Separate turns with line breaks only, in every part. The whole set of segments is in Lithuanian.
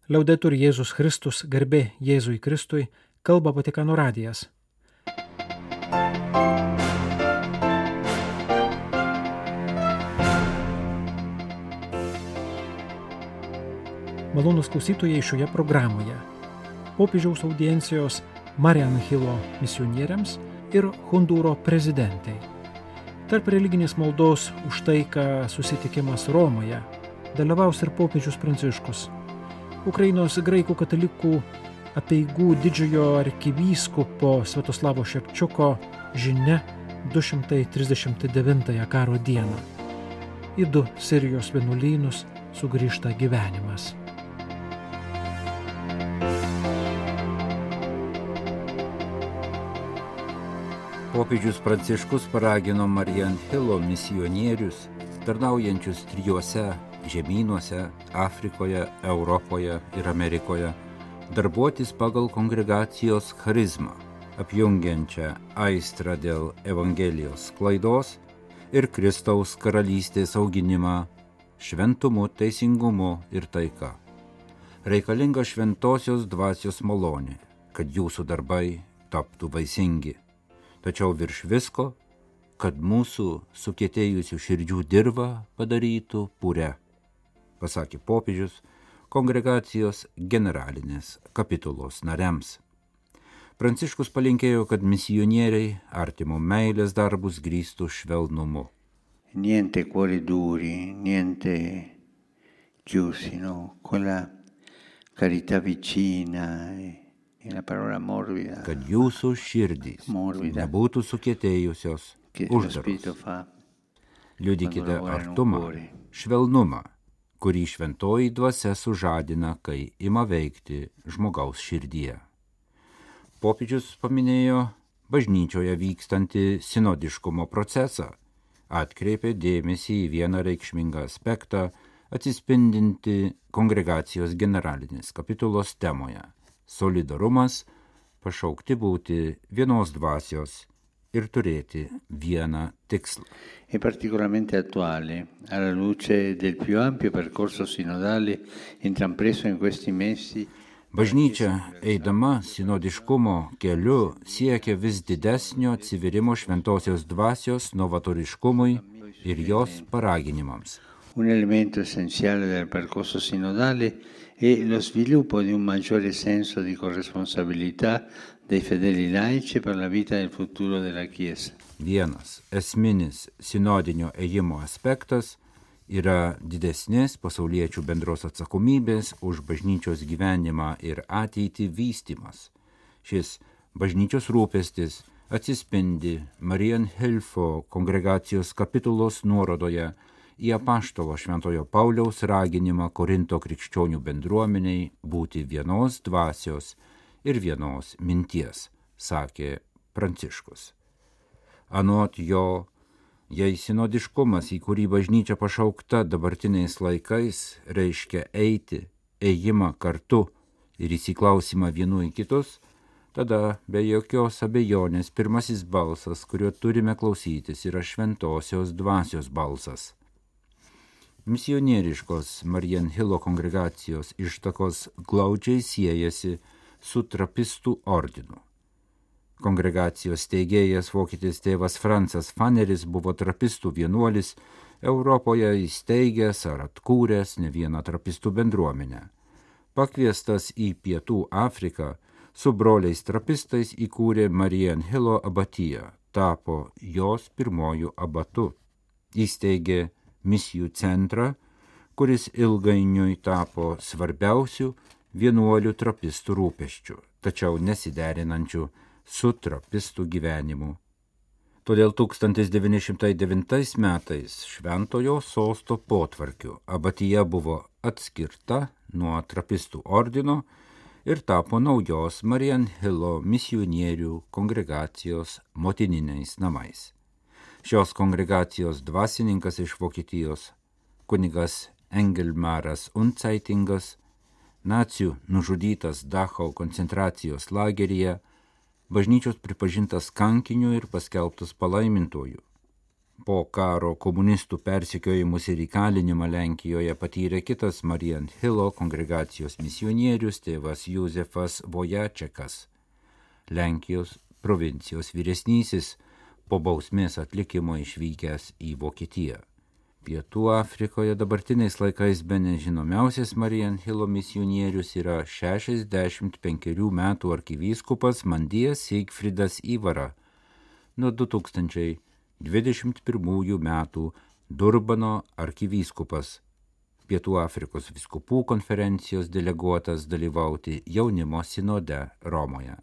Liaudetur Jėzus Kristus, garbė Jėzui Kristui, kalba Vatikano radijas. Malonūs klausytojai šioje programoje. Popiežiaus audiencijos Marian Hilo misionieriams ir Hondūro prezidentai. Tarp religinės maldos už taiką susitikimas Romoje dalyvaus ir popiežius Pranciškus. Ukrainos graikų katalikų apeigų didžiojo arkivyskupo Sviatoslavo Ševčiuko žinia 239 karo dieną. Į 2 Sirijos vienuolynus sugrįžta gyvenimas.
Popiežius Pranciškus paragino Marian Hilo misionierius, tarnaujančius 3 žemynuose – Afrikoje, Europoje ir Amerikoje, darbuotis pagal kongregacijos charizmą, apjungiančią aistrą dėl Evangelijos sklaidos ir Kristaus karalystės auginimą šventumu, teisingumu ir taika. Reikalinga šventosios dvasios malonė, kad jūsų darbai taptų vaisingi. Tačiau virš visko, kad mūsų sukietėjusių širdžių dirvą padarytų pure, pasakė popiežius kongregacijos generalinės kapitulos nariams. Pranciškus palinkėjo, kad misionieriai artimo meilės darbus grįstų švelnumu.
Niente cuori duri, niente chiusi, no? Quella carità vicina la parola morbida.
Kad jūsų širdys nebūtų sukietėjusios, uždaros. Liudykite artumą, švelnumą, kurį šventoji dvasia sužadina, kai ima veikti žmogaus širdyje. Popiežius paminėjo bažnyčioje vykstantį sinodiškumo procesą, atkreipė dėmesį į vieną reikšmingą aspektą, atsispindinti kongregacijos generalinės kapitulos temoje. Solidarumas, pašaukti būti vienos dvasios ir turėti vieną tikslą.
È particolarmente attuale alla luce del più ampio percorso sinodale intrapreso in questi mesi.
Bažnyčia, eidama sinodiškumo keliu, siekia vis didesnio atsiverimo šventosios dvasios novatoriškumui ir jos paraginimams.
Un elemento essenziale del percorso sinodale è lo sviluppo di un maggiore senso di corresponsabilità dei fedeli laici per la vita e il futuro della Chiesa.
Vienas esminis sinodinio ėjimo aspektas yra didesnės pasauliečių bendros atsakomybės už bažnyčios gyvenimą ir ateitį vystymas. Šis bažnyčios rūpestis atsispindi Marian Hilo kongregacijos kapitulos nuorodoje į apaštalo Šventojo Pauliaus raginimą Korinto krikščionių bendruomeniai būti vienos dvasios ir vienos minties, sakė Pranciškus. Anot jo, jei sinodiškumas, į kurį bažnyčia pašaukta dabartiniais laikais, reiškia eiti, ėjimą kartu ir įsiklausimą vienų į kitus, tada be jokios abejonės pirmasis balsas, kurio turime klausytis, yra šventosios dvasios balsas. Misionieriškos Marian Hilo kongregacijos ištakos glaudžiai siejasi su trapistų ordinu. Kongregacijos steigėjas vokietis tėvas Francas Faneris buvo trapistų vienuolis, Europoje įsteigęs ar atkūręs ne vieną trapistų bendruomenę. Pakviestas į Pietų Afriką, su broliais trapistais įkūrė Marian Hilo abatiją, tapo jos pirmojų abatu. Įsteigė misijų centrą, kuris ilgainiui tapo svarbiausių vienuolių trapistų rūpesčių, tačiau nesiderinančių su trapistų gyvenimu. Todėl 1909 metais Šventojo Sosto potvarkiu abatija buvo atskirta nuo trapistų ordino ir tapo naujos Marian Hilo misionierių kongregacijos motininiais namais. Šios kongregacijos dvasininkas iš Vokietijos, kunigas Engelmaras Unzeitingas, nacių nužudytas Dachau koncentracijos lageryje, bažnyčios pripažintas kankiniu ir paskelbtas palaimintoju. Po karo komunistų persekiojimus ir įkalinimą Lenkijoje patyrė kitas Marian Hilo kongregacijos misionierius tėvas Juzefas Vojačekas, Lenkijos provincijos vyresnysis, po bausmės atlikimo išvykęs į Vokietiją. Pietų Afrikoje dabartiniais laikais bene žinomiausias Marian Hilo misionierius yra 65 metų arkivyskupas Mandijas Sigfridas Ivara, nuo 2021 metų Durbano arkivyskupas, Pietų Afrikos vyskupų konferencijos deleguotas dalyvauti jaunimo sinode Romoje.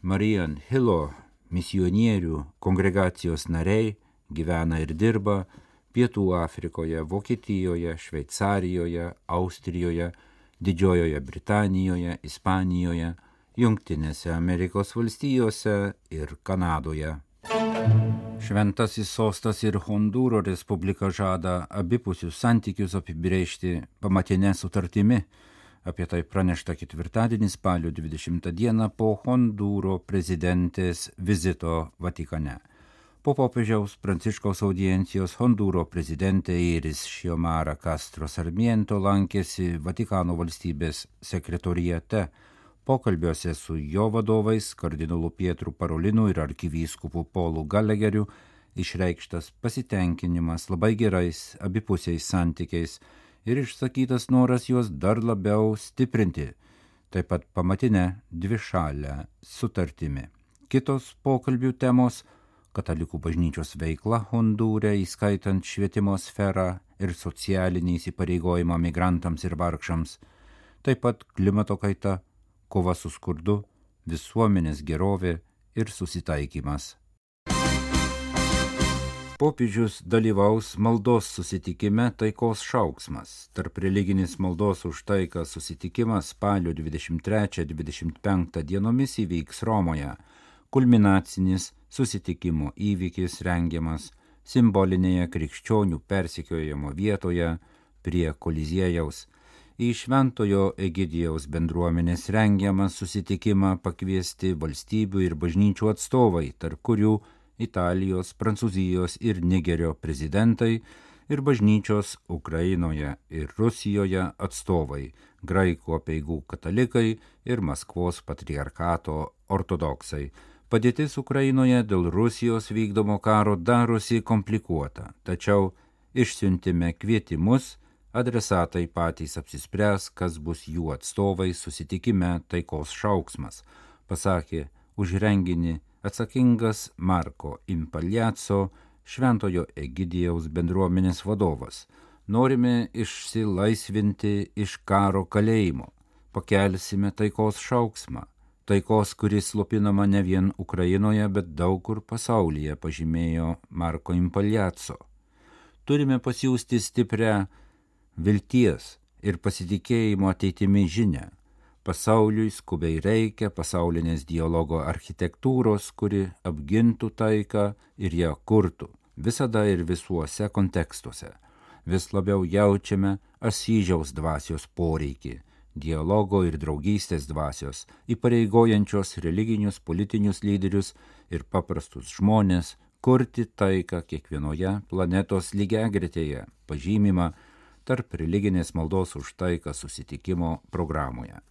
Marian Hilo misionierių kongregacijos nariai gyvena ir dirba Pietų Afrikoje, Vokietijoje, Šveicarijoje, Austrijoje, Didžiojoje Britanijoje, Ispanijoje, Jungtinėse Amerikos valstijose ir Kanadoje. Šventasis sostas ir Hondūro Respublika žada abipusius santykius apibrėžti pamatinę sutartimi. Apie tai pranešta ketvirtadienį spalio 20 dieną po Hondūro prezidentės vizito Vatikane. Po popiežiaus Pranciškaus audiencijos Hondūro prezidentė Iris Xiomara Castro Sarmiento lankėsi Vatikano valstybės sekretoriate. Pokalbiuose su jo vadovais, kardinolu Pietru Parolinu ir arkivyskupu Polu Galegeriu, išreikštas pasitenkinimas labai gerais abipusiais santykiais ir išsakytas noras juos dar labiau stiprinti, taip pat pamatinę dvišalę sutartimi. Kitos pokalbių temos – Katalikų bažnyčios veikla Hondūre, įskaitant švietimo sferą ir socialinį įsipareigojimą migrantams ir vargšams, taip pat klimato kaita, kova su skurdu, visuomenės gerovė ir susitaikymas. Popiežius dalyvaus maldos susitikime Taikos šauksmas. Tarp religinis maldos už taiką susitikimas spalio 23-25 dienomis įvyks Romoje. Kulminacinis susitikimo įvykis rengiamas simbolinėje krikščionių persekiojimo vietoje prie Koliziejaus. Į Šventojo Egidijaus bendruomenės rengiamą susitikimą pakviesti valstybių ir bažnyčių atstovai, tarp kurių Italijos, Prancūzijos ir Nigerio prezidentai ir bažnyčios Ukrainoje ir Rusijoje atstovai, graikų apeigų katalikai ir Maskvos patriarchato ortodoksai. Padėtis Ukrainoje dėl Rusijos vykdomo karo darosi komplikuota, tačiau išsiuntime kvietimus, adresatai patys apsispręs, kas bus jų atstovai susitikime Taikos šauksmas, pasakė už renginį atsakingas Marko Impagliazzo, Šventojo Egidijaus bendruomenės vadovas. Norime išsilaisvinti iš karo kalėjimo, pakelsime taikos šauksmą. Taikos, kuris slopinama ne vien Ukrainoje, bet daug kur pasaulyje, pažymėjo Marko Impagliazzo. Turime pasiųsti stiprią vilties ir pasitikėjimo ateitimi žinią. Pasauliui skubiai reikia pasaulinės dialogo architektūros, kuri apgintų taiką ir ją kurtų, visada ir visuose kontekstuose. Vis labiau jaučiame Asyžiaus dvasios poreikį, dialogo ir draugystės dvasios, įpareigojančios religinius, politinius lyderius ir paprastus žmonės kurti taiką kiekvienoje planetos lygiagretėje, pažymima tarp religinės maldos už taiką susitikimo programoje.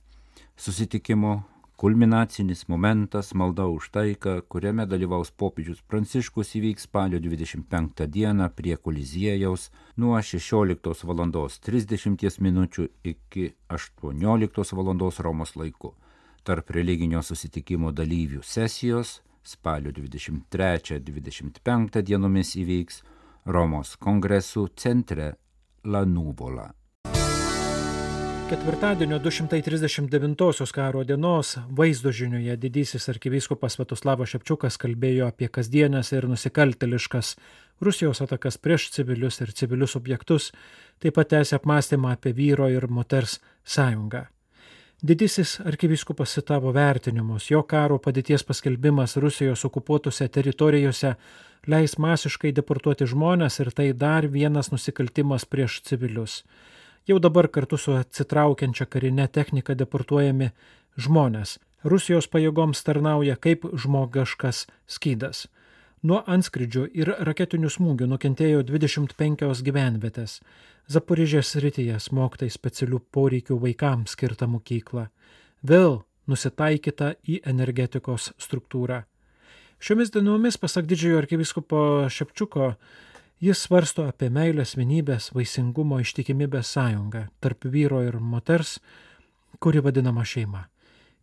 Susitikimo kulminacinis momentas malda už taiką, kuriame dalyvaus popiežius Pranciškus, įvyks spalio 25 dieną prie Koliziejaus nuo 16:30 minučių iki 18:00 Romos laiku. Tarp religinio susitikimo dalyvių sesijos spalio 23-25 dienomis įvyks Romos kongresų centre La Nuvola.
Ketvirtadienio 239 karo dienos vaizdo žinioje didysis arkivyskupas Sviatoslavas Šepčiukas kalbėjo apie kasdienės ir nusikaltėliškas Rusijos atakas prieš civilius ir civilius objektus, taip pat tęsė apmąstymą apie vyro ir moters sąjungą. Didysis arkivyskupas citavo vertinimus, jo karo padėties paskelbimas Rusijos okupuotose teritorijose leis masiškai deportuoti žmones ir tai dar vienas nusikaltimas prieš civilius. Jau dabar kartu su atsitraukiančia karinė technika deportuojami žmonės. Rusijos pajėgoms tarnauja kaip žmogiškas skydas. Nuo antskridžių ir raketinių smūgių nukentėjo 25 gyvenvietės. Zaporižės srityje smogta į specialių poreikių vaikams skirtą mokyklą. Vėl nusitaikyta į energetikos struktūrą. Šiomis dienomis, pasak didžiojo arkivyskupo Šepčiuko, jis svarsto apie meilės, vienybės, vaisingumo, ištikimybės sąjungą tarp vyro ir moters, kuri vadinama šeima.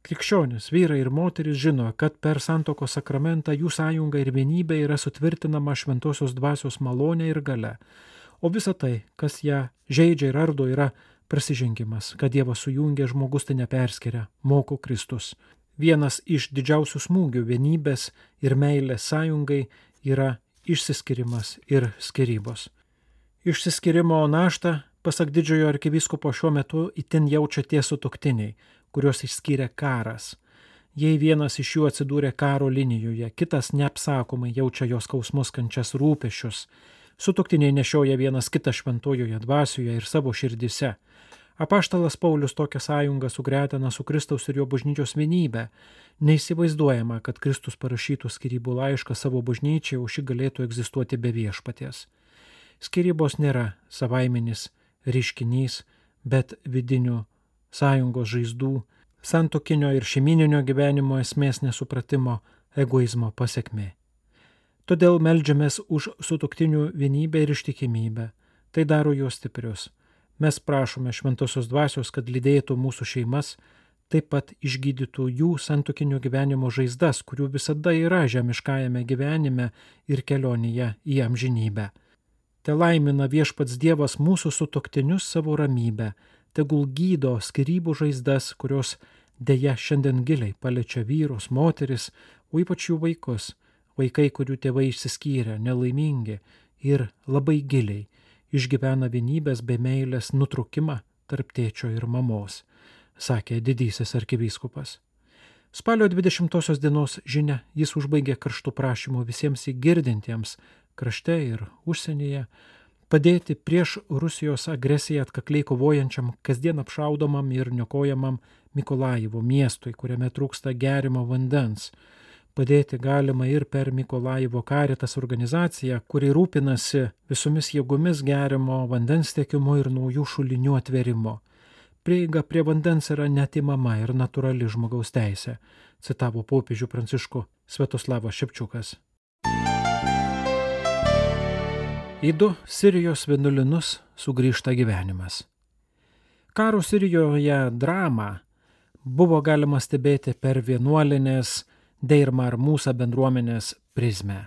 Krikščionys, vyrai ir moterys žino, kad per santuokos sakramentą jų sąjunga ir vienybė yra sutvirtinama šventosios dvasios malonė ir galia, o visa tai, kas ją žeidžia ir ardo, yra prasižengimas, kad Dievas sujungia, žmogus tai neperskiria, moko Kristus. Vienas iš didžiausių smūgių vienybės ir meilės sąjungai yra išsiskirimas ir skyrybos. Išsiskirimo naštą, pasak didžiojo arkivyskupo, šiuo metu itin jaučia tie sutuoktiniai, kuriuos išskyrė karas. Jei vienas iš jų atsidūrė karo linijoje, kitas neapsakomai jaučia jos skausmus, kančias, rūpesčius. Sutuoktiniai nešioja vienas kitą šventojoje dvasioje ir savo širdise. Apaštalas Paulius tokią sąjungą sugretina su Kristaus ir jo bažnyčios vienybę. Neįsivaizduojama, kad Kristus parašytų skyrybų laišką savo bažnyčiai, o ši galėtų egzistuoti be viešpaties. Skyrybos nėra savaiminis reiškinys, bet vidinių sąjungos žaizdų, santuokinio ir šeimyninio gyvenimo esmės nesupratimo, egoizmo pasekmė. Todėl meldžiamės už sutuoktinių vienybę ir ištikimybę. Tai daro juos stiprius. Mes prašome šventosios dvasios, kad lydėtų mūsų šeimas, taip pat išgydytų jų santuokinio gyvenimo žaizdas, kurių visada yra žemiškajame gyvenime ir kelionėje į amžinybę. Te laimina viešpats Dievas mūsų sutuoktinius savo ramybę, tegul gydo skyrybų žaizdas, kurios deja šiandien giliai paliečia vyrus, moteris, o ypač jų vaikus, vaikai, kurių tėvai išsiskyrę, nelaimingi ir labai giliai išgyvena vienybės bei meilės nutrūkimą tarp tėčio ir mamos, sakė didysis arkivyskupas. Spalio 20 dienos žinia jis užbaigė karštų prašymų visiems įgirdintiems krašte ir užsienyje padėti prieš Rusijos agresiją atkakliai kovojančiam, kasdien apšaudomam ir niokojamam Mikolajivo miestui, kuriame trūksta gerimo vandens. Padėti galima ir per Mikolajivo Caritas organizaciją, kuri rūpinasi visomis jėgomis gerimo vandens tiekimu ir naujų šulinių atvėrimo. Prieiga prie vandens yra neatimama ir natūrali žmogaus teisė, citavo popiežių Pranciškų Sviatoslavas Šepčiukas. Į 2 Sirijos vienuolynus sugrįžta gyvenimas. Karo Sirijoje dramą buvo galima stebėti per vienuolinės Deir Mar Musa bendruomenės prizmę.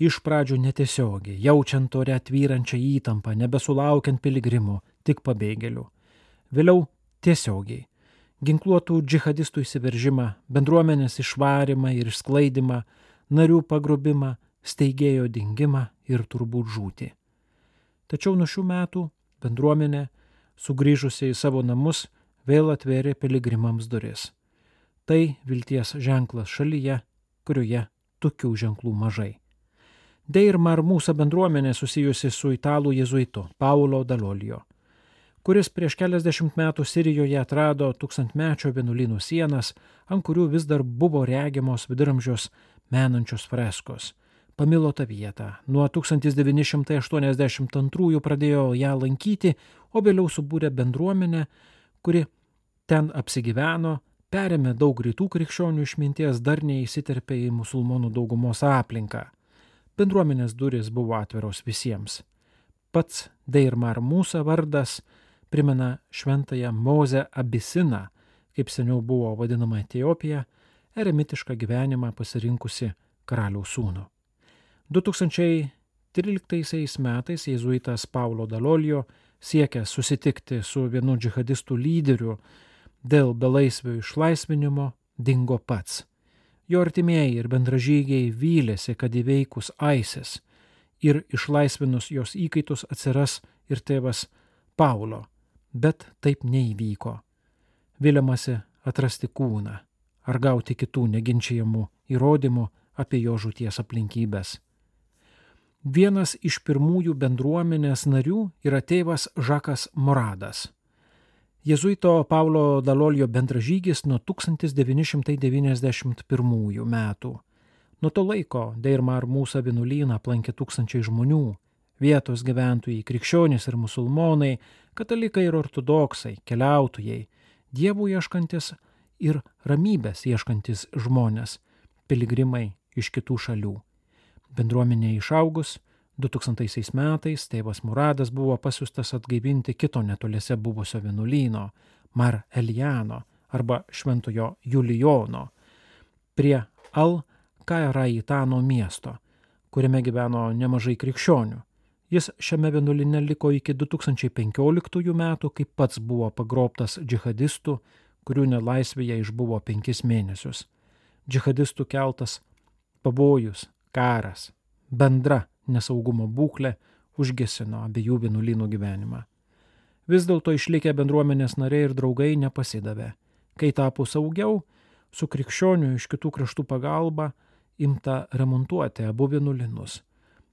Iš pradžių netiesiogiai, jaučiant ore tvyrančią įtampą, nebesulaukiant piligrimų, tik pabėgėlių. Vėliau tiesiogiai. Ginkluotų džihadistų įsiveržimą, bendruomenės išvarimą ir išsklaidimą, narių pagrobimą, steigėjo dingimą ir turbūt žūtį. Tačiau nuo šių metų bendruomenė, sugrįžusi į savo namus, vėl atvėrė piligrimams duris. Tai vilties ženklas šalyje, kurioje tokių ženklų mažai. Deir Mar Musa bendruomenė susijusi su italų jėzuitu Paolo Dalolio, kuris prieš keliasdešimt metų Sirijoje atrado tūkstantmečio vienuolynų sienas, ant kurių vis dar buvo regimos viduramžius menančios freskos. Pamilo tą vietą. Nuo 1982 pradėjo ją lankyti, o vėliau subūrė bendruomenę, kuri ten apsigyveno, perėmė daug rytų krikščionių išminties, dar neįsiterpė į musulmonų daugumos aplinką. Bendruomenės durys buvo atviros visiems. Pats Deir Mar Musa vardas primena šventąją Mozę Abisiną, kaip seniau buvo vadinama Etiopija, eremitišką gyvenimą pasirinkusi karaliaus sūnų. 2013 metais jėzuitas Paulo Dalolio siekė susitikti su vienu džihadistų lyderiu dėl belaisvio išlaisvinimo, dingo pats. Jo artimieji ir bendražygiai vylėsi, kad įveikus ISIS ir išlaisvinus jos įkaitus atsiras ir tėvas Paulo, bet taip neįvyko. Viliamasi atrasti kūną ar gauti kitų neginčiamų įrodymų apie jo žūties aplinkybės. Vienas iš pirmųjų bendruomenės narių yra tėvas Žakas Moradas. Jėzuito Paulo Dalolio bendražygis nuo 1991 metų. Nuo to laiko Deir Mar Musa vienuolyną aplankė tūkstančiai žmonių, vietos gyventojai, krikščionys ir musulmonai, katalikai ir ortodoksai, keliautojai, dievų ieškantis ir ramybės ieškantis žmonės, piligrimai iš kitų šalių. Bendruomenė išaugus, 2000 metais tėvas Muradas buvo pasiųstas atgaivinti kito netoliese buvusio vienuolyno, Mar Eliano arba Šventojo Julijono, prie Al-Kairaitano miesto, kuriame gyveno nemažai krikščionių. Jis šiame vienuolyne liko iki 2015 metų, kai pats buvo pagrobtas džihadistų, kurių nelaisvėje išbuvo 5 mėnesius. Džihadistų keltas pavojus, karas, bendra nesaugumo būklė užgesino abiejų vienuolynų gyvenimą. Vis dėlto išlikę bendruomenės nariai ir draugai nepasidavė. Kai tapo saugiau, su krikščionių iš kitų kraštų pagalba imta remontuoti abu vienuolynus.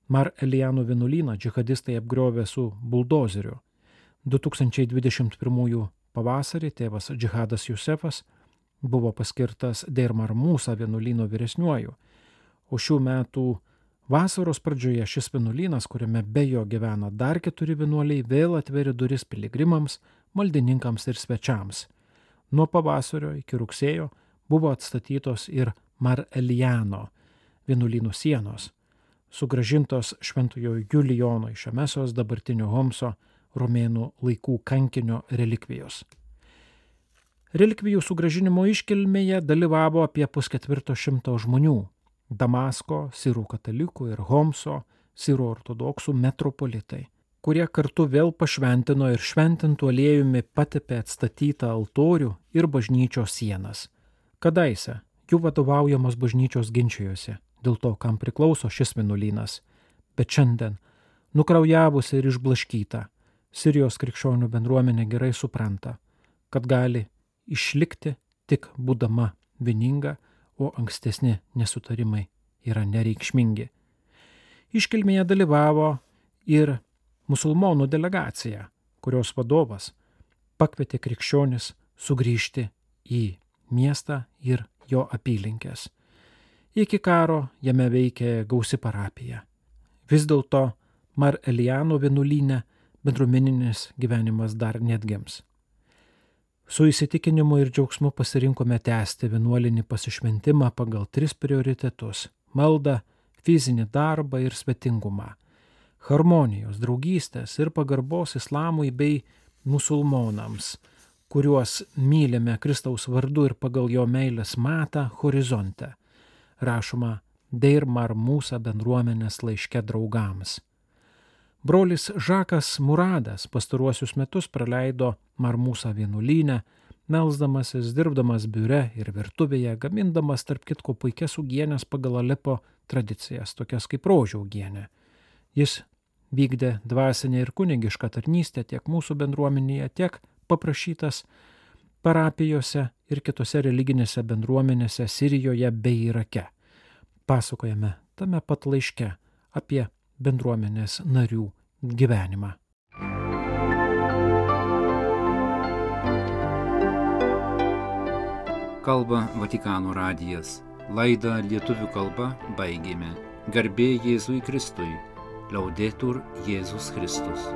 Mar Eliano vienuolyną džihadistai apgriovė su buldozeriu. 2021 pavasarį tėvas Džihadas Jusefas buvo paskirtas Deir Mar Musa vienuolyno vyresniuoju, o šių metų vasaros pradžioje šis vienuolynas, kuriame be jo gyvena dar 4 vienuoliai, vėl atverė duris piligrimams, maldininkams ir svečiams. Nuo pavasario iki rugsėjo buvo atstatytos ir Mar Eliano vienuolynų sienos, sugrąžintos Šventojo Julijono iš Emesos dabartinio Homso romėnų laikų kankinio relikvijos. Relikvijų sugrąžinimo iškilmėje dalyvavo apie 150 žmonių – Damasko, sirų katalikų ir Homso, sirų ortodoksų metropolitai, kurie kartu vėl pašventino ir šventintų aliejumi patepė atstatytą altorių ir bažnyčios sienas. Kadaise jų vadovaujamos bažnyčios ginčijosi dėl to, kam priklauso šis vienuolynas, bet šiandien, nukraujavusi ir išblaškyta, Sirijos krikščionių bendruomenė gerai supranta, kad gali išlikti tik būdama vieninga, o ankstesni nesutarimai yra nereikšmingi. Iškilmėje dalyvavo ir musulmonų delegacija, kurios vadovas pakvietė krikščionis sugrįžti į miestą ir jo apylinkės. Iki karo jame veikė gausi parapija. Vis dėlto Mar Eliano vienuolyne bendruomeninis gyvenimas dar neatgims. Su įsitikinimu ir džiaugsmu pasirinkome tęsti vienuolinį pasišventimą pagal 3 prioritetus – maldą, fizinį darbą ir svetingumą, harmonijos, draugystės ir pagarbos islamui bei musulmonams, kuriuos mylime Kristaus vardu ir pagal jo meilės matą horizonte, rašoma Deir Mar Musa bendruomenės laiške draugams. Brolis Žakas Muradas pastaruosius metus praleido Mar Musa vienuolyne, melsdamasis, dirbdamas biure ir virtuvėje, gamindamas tarp kitko puikias uogienes pagal Alepo tradicijas, tokias kaip rožių uogienė. Jis vykdė dvasinę ir kunigišką tarnystę tiek mūsų bendruomenėje, tiek paprašytas parapijose ir kitose religinėse bendruomenėse Sirijoje bei Irake. Pasakojame tame pat laiške apie bendruomenės narių gyvenimą.
Kalba Vatikano radijas. Laidą lietuvių kalba baigėme. Garbė Jėzui Kristui. Laudetur Jėzus Kristus.